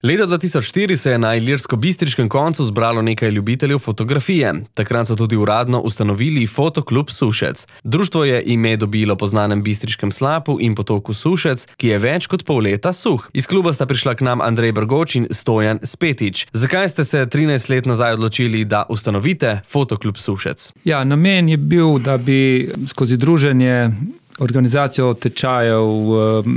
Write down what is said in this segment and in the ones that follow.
Leta 2004 se je na ilirsko-bistriškem koncu zbralo nekaj ljubiteljev fotografije. Takrat so tudi uradno ustanovili Fotoklub Sušec. Društvo je ime dobilo po znanem bistriškem slapu in potoku Sušec, ki je več kot pol leta suh. Iz kluba sta prišla k nam Andrej Brgoč in Stojan Spetič. Zakaj ste se 13 let nazaj odločili, da ustanovite Fotoklub Sušec? Ja, namen je bil, da bi skozi druženje, organizacijo tečajev,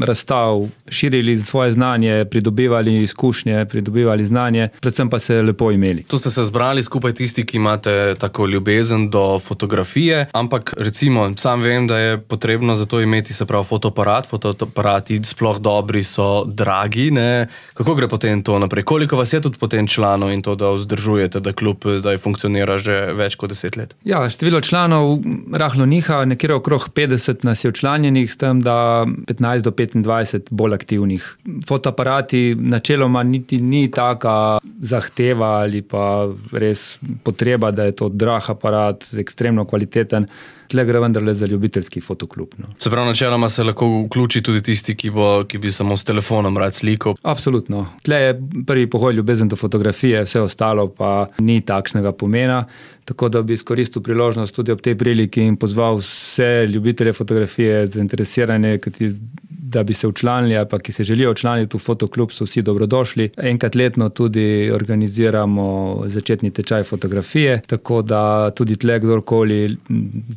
razstav, širili svoje znanje, pridobivali izkušnje, pridobivali znanje, predvsem pa se lepo imeli. Tu ste se zbrali skupaj tisti, ki imate tako ljubezen do fotografije, ampak recimo sam vem, da je potrebno za to imeti se prav fotoaparat. Fotoaparati sploh dobri so dragi, ne? Kako gre potem to naprej? Koliko vas je tudi potem članov in to, da vzdržujete, da klub zdaj funkcionira že več kot 10 let? Ja, število članov rahlo niha, nekje okrog 50 nas je včlanjenih, s tem, da 15 do 25 bolj aktivnih. Fotoaparati načeloma niti ni taka zahteva ali pa res potreba, da je to drag aparat, ekstremno kvaliteten. Tle gre vendarle za ljubiteljski fotoklub. No. Se pravi, načeloma se lahko vključi tudi tisti, ki bi samo s telefonom rad slikal? Absolutno. Tle je prvi pogoj ljubezen do fotografije, vse ostalo pa ni takšnega pomena. Tako da bi izkoristil priložnost tudi ob tej priliki in pozval vse ljubitelje fotografije, zainteresirane, da bi se včlanili, pa ki se želijo včlaniti v fotoklub, so vsi dobrodošli. Enkrat letno tudi organiziramo začetni tečaj fotografije, tako da tudi tle kdorkoli,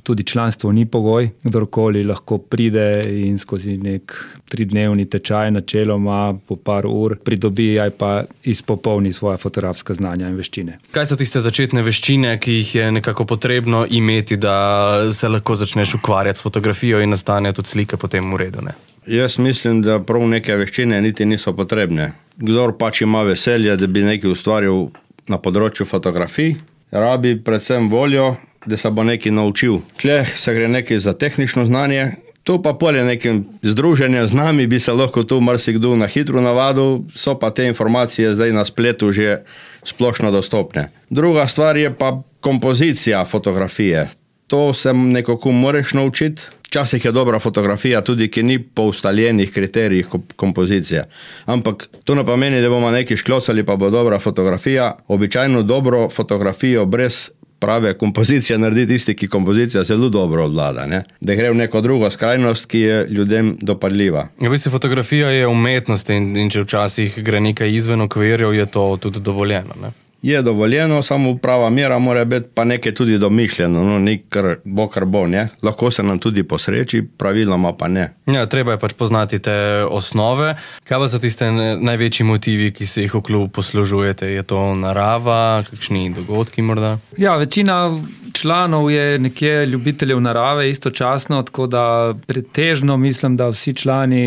tudi članstvo ni pogoj, kdorkoli lahko pride in skozi nek 3-dnevni tečaj načeloma po par ur pridobi ali pa izpopolni svoja fotografska znanja in veščine. Kaj so tiste začetne veščine, ki jih je nekako potrebno imeti, da se lahko začneš ukvarjati s fotografijo in nastane tudi slike potem v redu, ne? Jaz mislim, da prav neke veščine niti niso potrebne. Kdor pač ima veselje, da bi nekaj ustvaril na področju fotografij, rabi predvsem voljo, da se bo nekaj naučil. Tle se gre nekaj za tehnično znanje, tu pa polje nekim združenjem z nami bi se lahko tu marsikdo na hitro navadil, so pa te informacije zdaj na spletu že splošno dostopne. Druga stvar je pa kompozicija fotografije. To se nekako moraš naučiti. Včasih je dobra fotografija tudi, ki ni po ustaljenih kriterijih kompozicije. Ampak to ne pomeni, da bomo nekaj šklocali, pa bo dobra fotografija. Običajno dobro fotografijo brez prave kompozicije naredi tisti, ki kompozicija zelo dobro odvlada, ne? Da gre v neko drugo skrajnost, ki je ljudem dopadljiva. Ja, v bistvu fotografija je umetnost in če včasih gre nekaj izven okvirjev, je to tudi dovoljeno, ne? Je dovoljeno, samo prava mera mora biti pa nekaj tudi domišljeno, no, ni kar bo, ne? Lahko se nam tudi posreči, praviloma pa ne. Ja, treba je pač poznati te osnove. Kaj pa so tiste največji motivi, ki se jih v klubu poslužujete? Je to narava, kakšni dogodki morda? Ja, večina članov je nekje ljubiteljev narave istočasno, tako da pretežno mislim, da vsi člani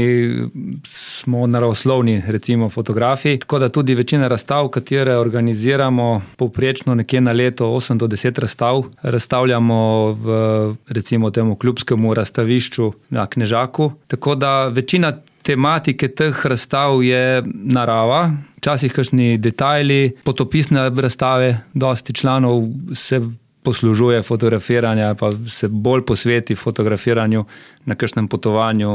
smo naravoslovni, recimo fotografi, tako da tudi večina razstav, katere organiziramo povprečno nekje na leto 8 do 10 razstav, razstavljamo v recimo temu klubskemu razstavišču na Knežaku, tako da večina tematike teh razstav je narava, včasih kakšni detajli, potopisne razstave, dosti članov se poslužuje fotografiranja, pa se bolj posveti fotografiranju na kakšnem potovanju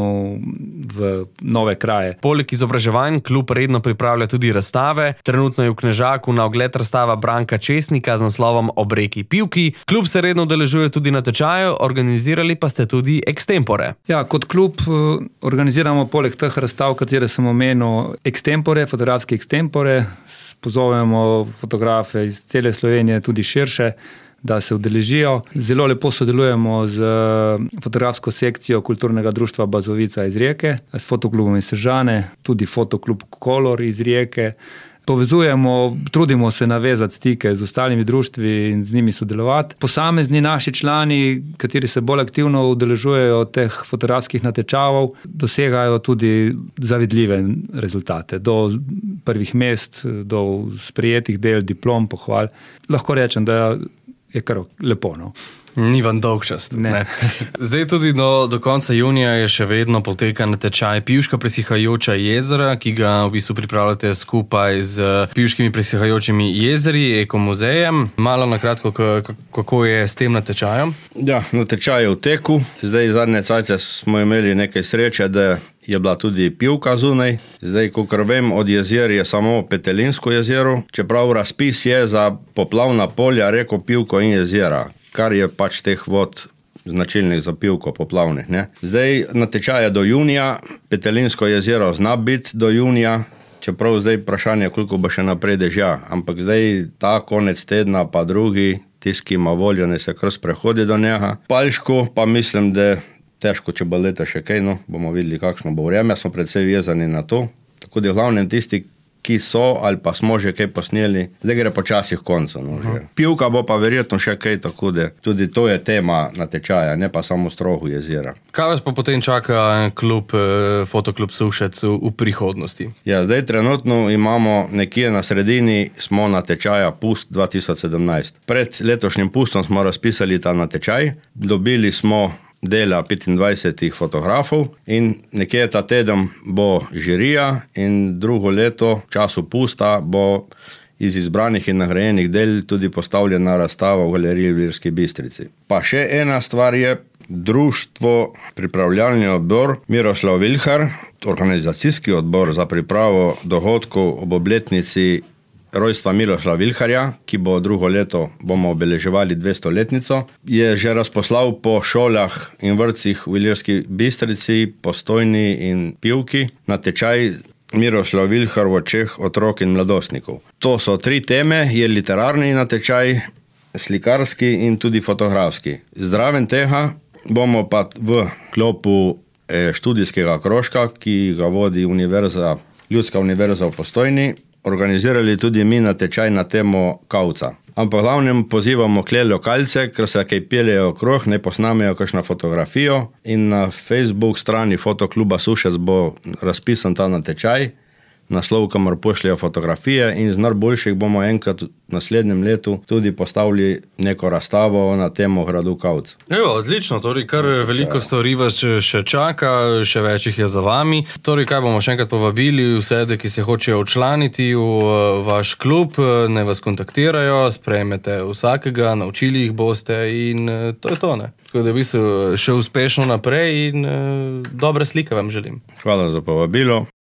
v nove kraje. Poleg izobraževanj klub redno pripravlja tudi razstave. Trenutno je v Knežaku na ogled razstava Branka Česnika z naslovom Ob reki Pivki. Klub se redno udeležuje tudi na tečaju, organizirali pa ste tudi extempore. Ja, kot klub organiziramo poleg teh razstav, katere sem omenil, extempore, fotografske extempore. Pozovemo fotografe iz cele Slovenije, tudi širše, da se udeležijo. Zelo lepo sodelujemo z fotografsko sekcijo Kulturnega društva Bazovica iz Rijeke, s fotoklubom iz Sežane, tudi fotoklub Kolor iz Rijeke. Povezujemo, trudimo se navezati stike z ostalimi društvi in z njimi sodelovati. Posamezni naši člani, kateri se bolj aktivno udeležujejo teh fotografskih natečavov, dosegajo tudi zavidljive rezultate. Do prvih mest, do sprejetih del, diplom, pohval. Lahko rečem, da je kar lepo, no. Ni vam dolg čas. Ne. Zdaj tudi do konca junija je še vedno poteka natečaj Pivška presihajoča jezera, ki ga v bistvu pripravljate skupaj z Pivškimi presihajočimi jezeri, Ekomuzejem. Malo na kratko, kako je s tem natečajem? Ja, natečaj je v teku. Zdaj zadnje cajte smo imeli nekaj sreče, da je bila tudi pivka zunaj. Zdaj, kakor vem, od jezer je samo Petelinsko jezero, čeprav razpis je za poplavna polja, reko, pivko in jezera, kar je pač teh vod značilnih za pivko poplavnih. Ne? Zdaj, natečaj je do junija, Petelinsko jezero zna biti do junija, čeprav zdaj vprašanje, koliko bo še naprej dežja, ampak zdaj ta konec tedna pa drugi, tisti, ki ima voljo, ne se kar sprehodi do njega. Paljško pa mislim, da težko, če bo leta še kaj, no, bomo videli, kakšno bo vreme, smo predvsej vezani na to. Tako da v glavnem tisti, ki so ali pa smo že kaj posneli, zdaj gre počasih koncu. No, pivka bo pa verjetno še kaj, tako da tudi to je tema natečaja, ne pa samo strohu jezera. Kaj vas pa potem čaka Fotoklub Sušec v prihodnosti? Ja, zdaj trenutno imamo nekje na sredini, smo natečaja Pust 2017. Pred letošnjim Pustom smo razpisali ta natečaj, dobili smo dela 25 fotografov in nekje ta teden bo žirija in drugo leto, v času Pusta, bo iz izbranih in nagrajenih del tudi postavljena razstava v galeriji v Ilirski Bistrici. Pa še ena stvar je društvo Pripravljalni odbor Miroslav Vilhar, organizacijski odbor za pripravo dogodkov ob obletnici rojstva Miroslava Vilharja, ki bo drugo leto, bomo obeleževali 200-letnico, je že razposlal po šolah in vrtcih v Ilirski Bistrici, Postojni in Pivki natečaj Miroslav Vilhar v očeh otrok in mladostnikov. To so 3 teme, je literarni natečaj, slikarski in tudi fotografski. Zraven tega bomo pa v sklopu študijskega krožka, ki ga vodi Ljudska univerza v Postojni, organizirali tudi mi natečaj na temo kavca. Ampak glavnem pozivamo kle lokalce, ker se kaj peljejo okrog, ne posnamejo kakšno fotografijo in na Facebook strani Fotokluba Sušec bo razpisan ta natečaj, naslov, kamor pošljajo fotografije in z najboljših bomo enkrat v naslednjem letu tudi postavili neko razstavo na temo gradu Kavc. Evo, odlično, torej kar veliko stvari vas še čaka, še več jih je za vami. Torej, kaj bomo še enkrat povabili vse, ki se hočejo včlaniti v vaš klub, ne vas kontaktirajo, sprejmete vsakega, naučili jih boste in to je to, ne? Tako da bi se še uspešno naprej in dobre slike vam želim. Hvala za povabilo.